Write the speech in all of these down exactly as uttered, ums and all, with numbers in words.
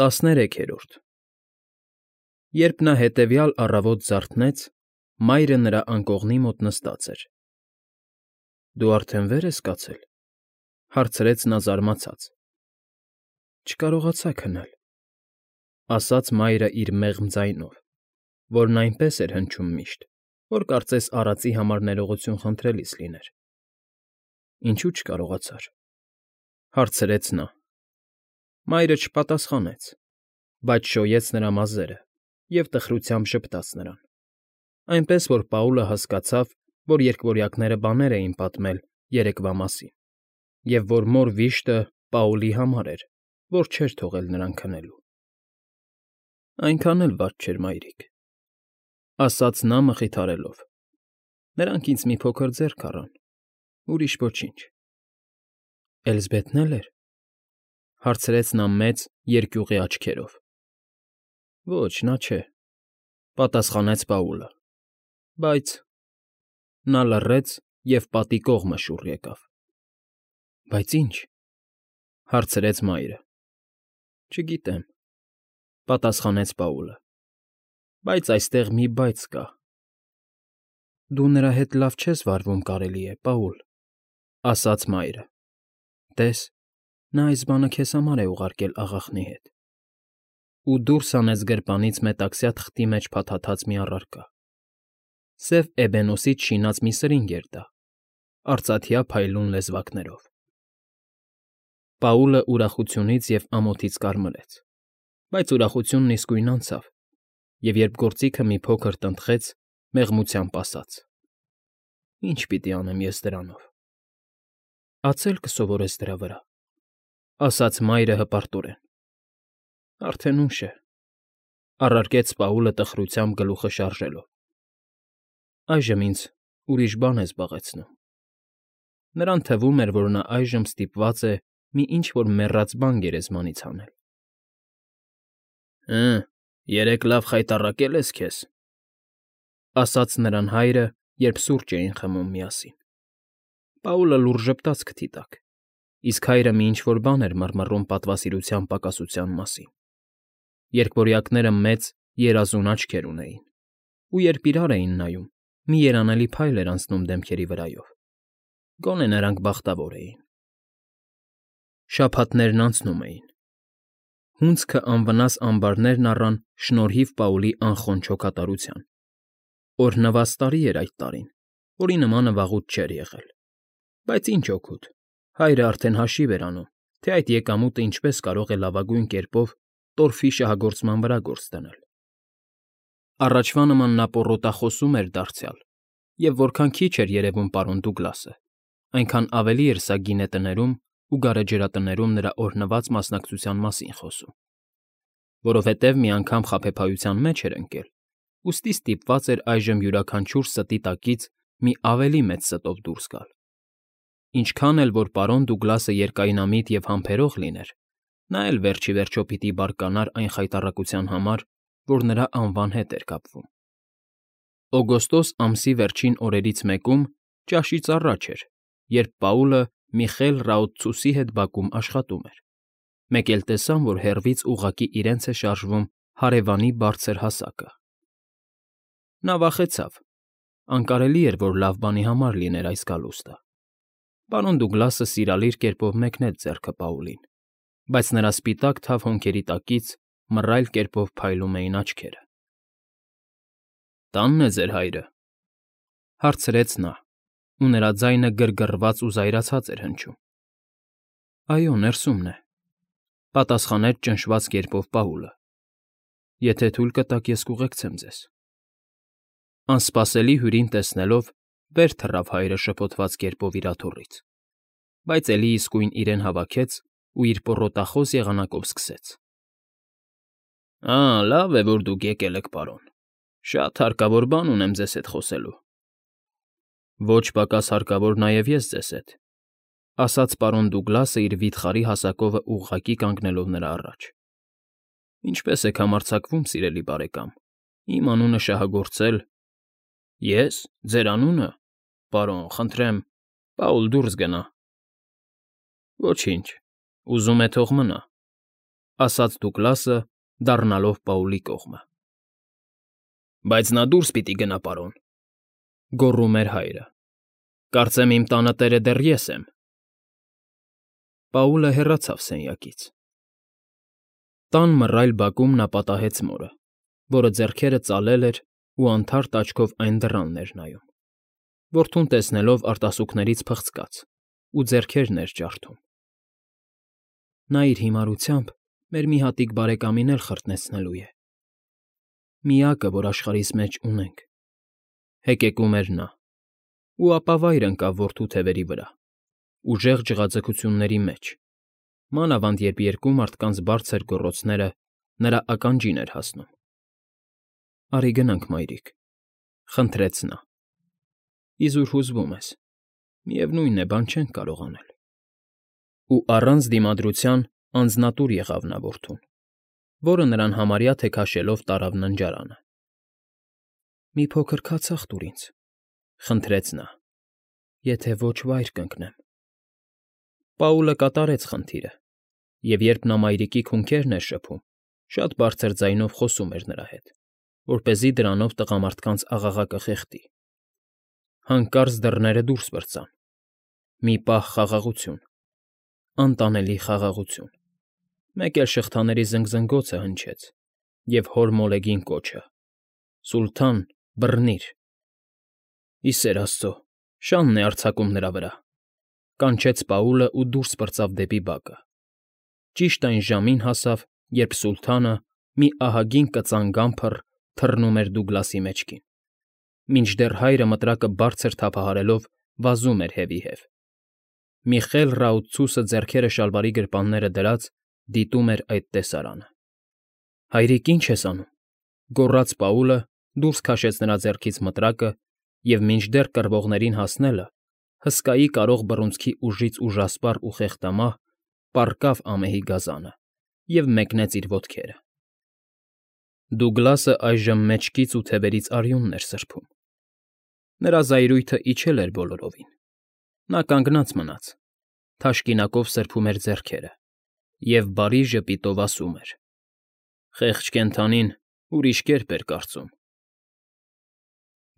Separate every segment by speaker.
Speaker 1: ՏԱՍՆԵՐԵՔԵՐՈՐԴ Երբ նա հետևյալ առավոտ զարթնեց, մայրը նրա անկողնի մոտ նստած էր։ ֊ Դու արդեն վեր ես կացել,֊ հարցրեց նա զարմացած։ ֊ Չկարողացա քնել,֊ ասաց մայրը իր մեղմ ձայնով, որն այնպես էր հնչում միշտ, որ կարծես արածի համար ներողություն խնդրելիս լիներ։ ֊ Ինչո՞ւ չկարողացար,֊ հարցրեց նա։ Մայրը չպատասխանեց, բայց շոյեց նրա մազերը և տխրությամբ ժպտաց նրան, այնպես որ Պաուլը հասկացավ, որ երկվորյակները բաներ էին պատմել երեկվա մասին, և որ մոր վիշտը Պաուլի համար էր, որ չէր թողել նրան քնելու։ ֊ Այնքան էլ վատ չէր, մայրիկ,֊ ասաց նա մխիթարելով։ Նրանք ինձ մի փոքր ձեռք առան, ուրիշ ոչինչ։ ֊ Էլզբեթն է՞լ էր,֊ հարցրեց նա մեծ, երկյուղի աչքերով։ ֊ Ոչ, նա չէ,֊ պատասխանեց Պաուլը,֊ բայց…֊ Նա լռեց և պատի կողմը շուռ եկավ։ ֊ Բայց ի՞նչ,֊ հարցրեց մայրը։ ֊ Չգիտեմ,֊ պատասխանեց Պաուլը,֊ բայց այստեղ մի բայց կա։ ֊ Դու նրա հետ լավ չես վարվում, կարելի է, Պաուլ,֊ ասաց մայրը։ Տես, նա այս բանը քեզ համար է ուղարկել աղախնի հետ։ Ու դուրս հանեց գրպանից մետաքսյա թղթի մեջ փաթաթած մի առարկա։ Սև էբենոսից շինած մի սրինգ էր դա, արծաթյա փայլուն լեզվակներով։ Պաուլը ուրախությունից և ամոթից կարմրեց, բայց ուրախությունն իսկույն անցավ, և երբ գործիքը մի փոքր տնտղեց, մեղմությամբ ասաց. «Ի՞նչ պիտի անեմ ես դրանով»։ ֊ Ացել կսովորես դրա վրա,֊ ասաց մայրը հպարտորեն։ ֊ Արդեն ուշ է,֊ առարկեց Պաուլը տխրությամբ գլուխը շարժելով։ ֊ Այժմ ինձ ուրիշ բան է զբաղեցնում։ Նրան թվում էր, որ նա այժմ ստիպված է մի ինչ֊որ մեռած բան գերեզմանից հանել։ ֊ Հը, երեկ լավ խայտառակե՞լ ես քեզ,֊ ասաց նրան հայրը, երբ սուրճ էին խմում միասին։ Պաուլը լուռ ժպտաց քթի տակ, իսկ հայրը մի ինչ֊որ բան էր մռմռում պատվասիրության պակասության մասին։ Երկվորյակները մեծ, երազուն աչքեր ունեին, ու երբ իրար էին նայում, մի երանելի փայլ էր անցնում դեմքերի վրայով։ Գոնե նրանք բախտավոր էին։ Շաբաթներն անցնում էին։ Հունձքը անվնաս ամբարներն առան շնորհիվ Պաուլի անխոնջ հոգատարության։ Օրհնված տարի էր այդ տարին, որի նմանը վաղուց չէր եղել։ Բայց ինչ օգուտ, հայրը արդեն հաշիվ էր անում, թե այդ եկամուտը ինչպես կարող է լավագույն կերպով տորֆի շահագործման վրա գործ դնել։ Առաջվա նման նա պոռոտախոսում էր դարձյալ, և որքան քիչ էր երևում պարոն Դուգլասը, այնքան ավելի էր սա գինետներում ու գարեջրատներում նրա օրհնված մասնակցության մասին խոսում։ Որովհետև մի անգամ խաբեբայության մեջ էր ընկել, ուստի ստիպված էր այժմ յուրաքանչյուր ստի տակից մի ավելի մեծ ստով դուրս գալ։ Ինչքան էլ որ պարոն Դուգլասը երկայնամիտ և համբերող լիներ, նա էլ վերջ ի վերջո պիտի բարկանար այն խայտառակության համար, որ նրա անվան հետ էր կապվում։ Օգոստոս ամսի վերջին օրերից մեկում, ճաշից առաջ էր, երբ Պաուլը Միխել Ռաոծցուսի հետ բակում աշխատում էր, մեկ էլ տեսան, որ հեռվից ուղղակի իրենց է շարժվում հարևանի բարձր հասակը։ Նա վախեցավ. անկարելի էր, որ լավ բանի համար լիներ այս գալուստը։ Պարոն Դուգլասը սիրալիր կերպով մեկնեց ձեռքը Պաուլին, բայց նրա սպիտակ թավ հոնքերի տակից մռայլ կերպով փայլում էին աչքերը։ ֊ Տա՞նն է ձեր հայրը,֊ հարցրեց նա, ու նրա ձայնը գրգռված ու զայրացած էր հնչում։ ֊ Այո, ներսումն է,֊ պատասխանեց ճնշված կերպով Պաուլը։ ֊ Եթե թույլ կտաք, ես կուղեկցեմ ձեզ։ Անսպասելի հյուրին տեսնելով, վեր թռավ հայրը շփոթված կերպով իր աթոռից, բայց էլի իսկույն իրեն հավաքեց ու իր պոռոտախոս եղանակով սկսեց. ֊ Ա՜, լավ է, որ դուք եկել եք, պարոն, շատ հարկավոր բան ունեմ ձեզ հետ խոսելու։ ֊ Ոչ պակաս հարկավոր նաև ես ձեզ հետ,֊ ասաց պարոն Դուգլասը իր վիթխարի հասակովը ուղղակի կանգնելով նրա առաջ։ ֊ Ինչպե՞ս եք համարձակվում, սիրելի բարեկամ, իմ անունը շահագործել… ֊ Ե՞ս, ձեր անունը, պարոն, խնդրեմ, Պաուլ, դուրս գնա։ ֊ Ոչինչ, ուզում է թող մնա։ ասաց Դուգլասը, դառնալով Պաուլի կողմը։ ֊ Բայց նա դուրս պիտի գնա, պարոն,֊ գոռում էր հայրը։֊ Կարծեմ իմ տանը տերը դեռ ես եմ… Պաուլը հեռացավ սենյակից։ Տան մռայլ բակում նա պատահեց մորը, որը ձեռքերը ծալել էր ու անթարթ աչքով այն դռանն էր նայում, որդուն տեսնելով արտասուքներից փխցկաց ու ձեռքերն էր ջարդում։ ֊ Նա իր հիմարությամբ մեր մի հատիկ բարեկամին էլ խրտնեցնելու է, միակը, որ աշխարհիս մեջ ունենք,֊ հեկեկում էր նա, ու ապա վայր ընկավ որդու թևերի վրա, ուժեղ ջղաձգությունների մեջ, մանավանդ երբ երկու մարդկանց բարձր գոռոցները նրա ականջին էր հասնում։ ֊ Արի գնանք, մայրիկ,֊ խնդրեց նա։֊ Իզուր հուզվում ես, միևնույն է, բան չենք կարող անել։ Ու առանց դիմադրության անձնատուր եղավ նա որդուն, որը նրան համարյա թե քաշելով տարավ ննջարանը։ ֊ Մի փոքր քացախ տուր ինձ,֊ խնդրեց նա,֊ եթե ոչ, վայր կընկնեմ։ Պաուլը կատարեց խնդիրը, և երբ նա մայրիկի քունքերն էր շփում, շատ բարձր ձայնով խոսում էր նրա հետ, որպեսզի դրանով տղամարդկանց աղաղակը խեղդի։ Հանկարծ դռները դուրս պրծան։ Մի պահ խաղաղություն, անտանելի խաղաղություն, մեկ էլ շղթաների զնգզնգոցը հնչեց, և հոր մոլեգին կոչը. «Սուլթան, բռնի՛ր»։ «Ի սեր աստծո, շանն է արձակում նրա վրա»,֊ կանչեց Պաուլը ու դուրս պրծավ դեպի բակը։ Ճիշտ այն ժամին հասավ, երբ սուլթանը, մի ահագին կծան֊գամփռ, թռնում էր Դուգլասի մեջքին, մինչդեռ հայրը մտրակը բարձր թափահարելով վազում էր հետևի։ Մի խել ռաութցուսը ձեռքերը շալվարի գրպանները դրած դիտում էր այդ տեսարանը։ ֊ Հայրիկ, ի՞նչ ես անում,֊ գոռաց Պաուլը, դուրս քաշեց նրա ձեռքից մտրակը և, մինչդեռ կռվողներին հասնելը, հսկայի կարող բռունցքի ուժից ուժասպառ ու խեղդամահ, պառկավ ամեհի գազանը և մեկնեց իր ոտքերը։ Դուգլասը այժմ մեջքից ու թևերից արյունն էր սրբում։ Նրա զայրույթը իջել էր բոլորովին։ Նա կանգնած մնաց, թաշկինակով սրբում էր ձեռքերը և բարի ժպիտով ասում էր. «Խեղճ կենդանին ուրիշ կերպ էր կարծում»։ ֊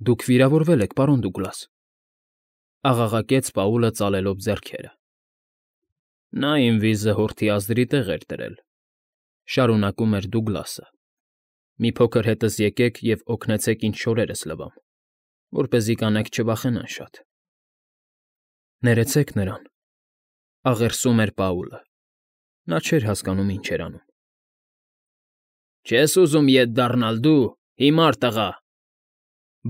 Speaker 1: Դուք վիրավորվել եք, պարոն Դուգլաս,֊ աղաղակեց Պաուլը ծալելով ձեռքերը։ ֊ Նա իմ վիզը հորթի ազդրի տեղ էր դրել,֊ շարունակում էր Դուգլասը։֊ Մի փոքր հետս եկեք և օգնեցեք ինձ չորերս լվամ, որպեսզի կանայք չվախենան շատ։ ֊ Ներեցեք նրան,֊ աղերսում էր Պաուլը։ Նա չէր հասկանում ինչ էր անում։ ֊ Չե՞ս ուզում ետ դառնալ դու, հիմար տղա,֊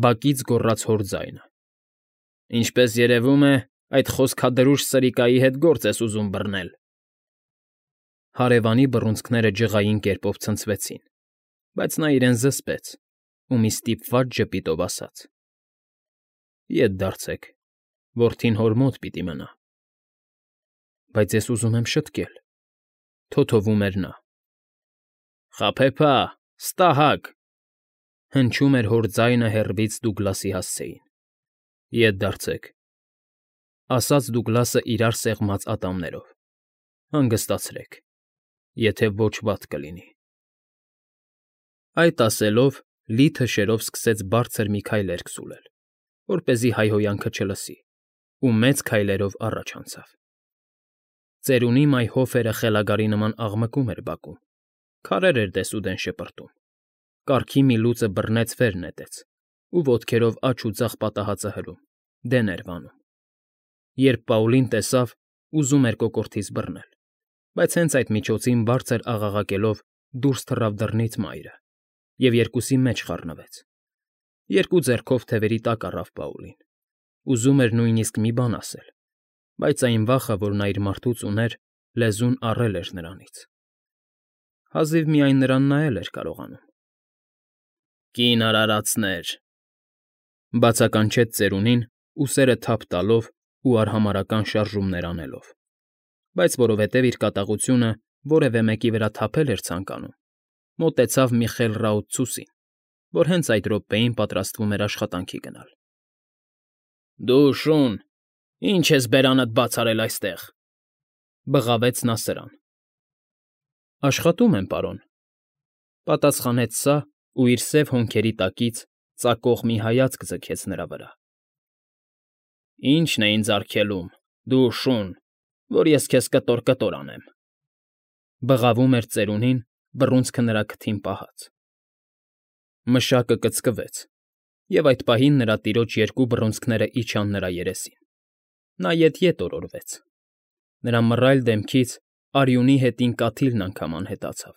Speaker 1: բակից գոռաց հոր ձայնը։ ֊ Ինչպես երևում է, այդ խոսքադրուժ սրիկայի հետ գործ ես ուզում բռնել։ Հարևանի բռունցքները ջղային կերպով ցնցվեցին, բայց նա իրեն զսպեց ու մի ստիպված ժպիտով ասաց. ֊ Ետ դարձեք, որդին հոր մոտ պիտի մնա։ ֊ Բայց ես ուզում եմ շտկել,֊ թոթովում էր նա։ ֊ Խաբեբա, ստահակ,֊ հնչում էր հոր ձայնը հեռվից Դուգլասի հասցեին։ ֊ Ետ դարձեք,֊ ասաց Դուգլասը իրար սեղմած ատամներով։֊ Հանգստացրեք, եթե ոչ վատ կլինի։ Այդ ասելով, լիթը շերով սկսեց բարձր մի քայլեր քսուլել, որպեսզի հայհոյանքը չլսի, ու մեծ քայլերով առաջ անցավ։ Ծերունի մայհոֆերը խելագարի նման աղմկում էր բակում, քարեր էր դեսուդեն շպրտում, կառքի մի լուծը բռնեց վեր նետեց ու ոտքերով աջ ու ձախ պատահածը հրում, դեն էր վանում։ Երբ Պաուլին տեսավ, ուզում էր կոկորդից բռնել, բայց հենց այդ միջոցին բարձր աղաղակելով դուրս թռավ դռնից մայրը և երկուսի մեջ խառնվեց։ Երկու ձեռքով թևերի տակ առավ Պաուլին, ուզում էր նույնիսկ մի բան ասել, բայց այն վախը, որ նա իր մարդուց ուներ, լեզուն առել էր նրանից։ Հազիվ միայն նրան նայել էր կարողանում։ ֊ Կին արարածներ,֊ բացականչեց ծերունին, ուսերը թափ տալով ու արհամարհական շարժումներ անելով, բայց որովհետև իր կատաղությունը որևէ մեկի վրա թափել էր ցանկանում, մոտեցավ մի խել ռաութցուսին, որ հենց այդ րոպեին պատրաստվում էր աշխատանքի գնալ։ ֊ Դու, շուն, ի՞նչ ես բերանդ բաց արել այստեղ,֊ բղավեց նա սրան։ Աշխատում եմ, պարոն,֊ պատասխանեց սա ու իր սև հոնքերի տակից ծակող մի հայացք ձգեց նրա վրա։ ֊ Ի՞նչն է ինձ արգելում, դու շուն, որ ես քեզ կտոր֊կտոր անեմ,֊ բղավում էր ծերունին, բռունցքը նրա քթին պահած։ Մշակը կծկվեց, և այդ պահին նրա տիրոջ երկու բռունցքները իջան նրա երեսին. նա ետ֊ետ օրորվեց, նրա մռայլ դեմքից արյունի հետին կաթիլն անգամ անհետացավ,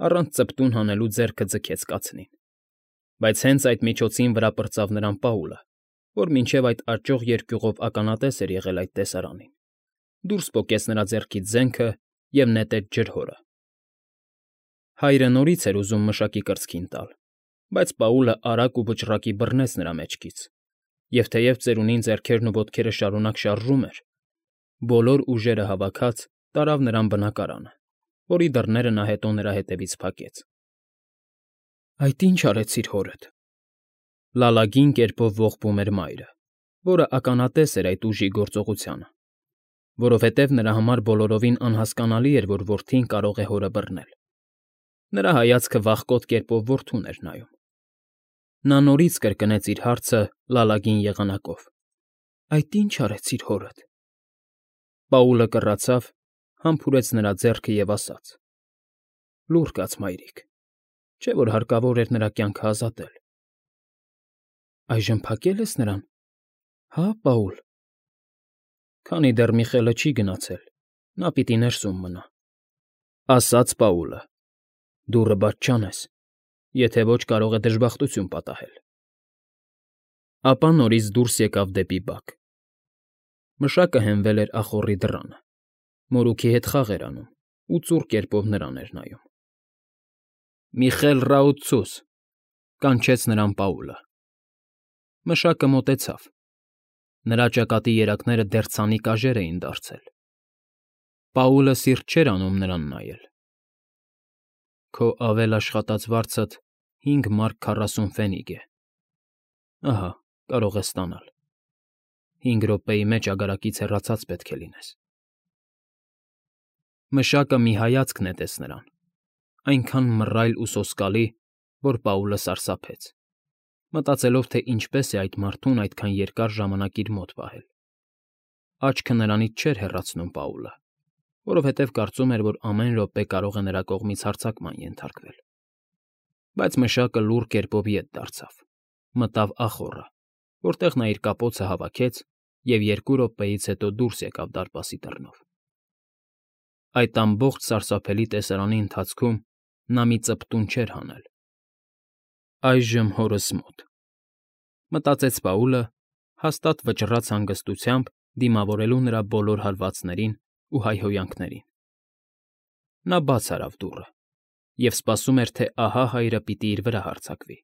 Speaker 1: առանց ծպտուն հանելու ձեռքը ձգեց կացնին, բայց հենց այդ միջոցին վրա պրծավ նրան Պաուլը, որ մինչև այդ աճող երկյուղով ականատես էր եղել այդ տեսարանին, դուրս պոկեց նրա ձեռքից զենքը և նետեց ջրհորը։ Հայրը նորից էր ուզում մշակի կրծքին տալ, բայց Պաուլը արագ ու վճռակի բռնեց նրա մեջքից, և թեև ծերունին ձեռքերն ու ոտքերը շարունակ շարժում էր, բոլոր ուժերը հավաքած տարավ նրան բնակարանը, որի դռները նա հետո նրա ետևից փակեց։ ֊ Այդ ի՞նչ արեցիր հորդ,֊ լալագին կերպով ողբում էր մայրը, որը ականատես էր այդ ուժի գործողությանը, որովհետև նրա համար բոլորովին անհասկանալի էր, որ որդին կարող է հորը բռնել։ Նրա հայացքը վախկոտ կերպով որդուն էր նայում։ Նա նորից կրկնեց իր հարցը լալագին եղանակով. «Այդ ի՞նչ արեցիր հորդ»։ Պաուլը կռացավ, համբուրեց նրա ձեռքը և ասաց. «Լուռ կաց, մայրիկ, չէ՞ որ հարկավոր էր նրա կյանքը ազատել»։ ֊ Այժմ փակե՞լ ես նրան, հա՞, Պաուլ։ ֊ Քանի դեռ մի խելը չի գնացել, նա պիտի ներսում մնա,֊ ասաց Պաուլը։֊ Դուռը բաց չանես, եթե ոչ կարող է դժբախտություն պատահել։ Ապա նորից դուրս եկավ դեպի բակ։ Մշակը հենվել էր ախոռի դռանը, մորուքի հետ խաղ էր անում ու ծուռ կերպով նրան էր նայում։ ֊ Միխել Ռաուցուս,֊ կանչեց նրան Պաուլը։ Մշակը մոտեցավ։ Նրա ճակատի երակները դեռ ցանի կաժեր էին դարձել։ Պաուլը սիրտ չէր անում նրան նայել։ ֊ Քո ավել աշխատած վարձդ հինգ մարկ քառասուն ֆենիգ է, ահա, կարող ես ստանալ, հինգ րոպեի մեջ ագարակից հեռացած պետք է լինես։ Մշակը մի հայացք նետեց նրան, այնքան մռայլ ու սոսկալի, որ Պաուլը սարսափեց, մտածելով, թե ինչպես է այդ մարդուն այդքան երկար ժամանակ իր մոտ պահել։ Աչքը նրանից չէր հեռացնում Պաուլը, որովհետև կարծում էր, որ ամեն րոպե կարող է նրա կողմից հարձակման ենթարկվել։ Բայց մշակը լուռ կերպով ետ դարձավ, մտավ ախոռը, որտեղ նա իր կապոցը հավաքեց և երկու րոպեից հետո դուրս եկավ դարպասի դռնով։ Այդ ամբողջ սարսափելի տեսարանի ընթացքում նա մի ծպտուն չէր հանել։ «Այժմ հորս մոտ,֊ մտածեց Պաուլը, հաստատ վճռած հանգստությամբ դիմավորելու նրա բոլոր հարվածներին ու հայհոյանքներին։ Նա բաց արավ դուռը և սպասում էր, թե ահա հայրը պիտի իր վրա հարձակվի,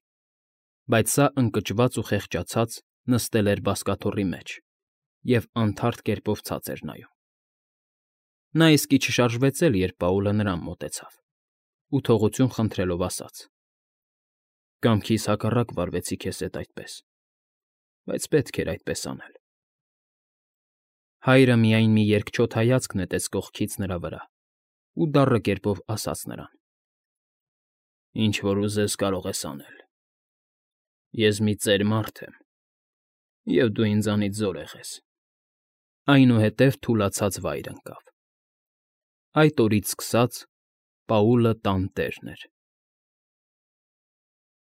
Speaker 1: բայց սա ընկճված ու խեղճացած նստել էր բազկաթոռի մեջ և անթարթ կերպով ցած էր նայում։ Նա իսկի չշարժվեց էլ, երբ Պաուլը նրան մոտեցավ ու թողություն խնդրելով ասաց. «Կամքիս հակառակ վարվեցի քեզ հետ այդպես, բայց պետք էր այդպես անել»։ Հայրը միայն մի երկչոտ հայացք նետեց կողքից նրա վրա ու դառը կերպով ասաց նրան. «Ինչ որ ուզես, կարող ես անել։ Ես մի ծեր մարդ եմ, և դու ինձանից զորեղ ես»։ Այնուհետև թուլացած վայր ընկավ։ Այդ օրից սկսած Պաուլը տան տերն էր։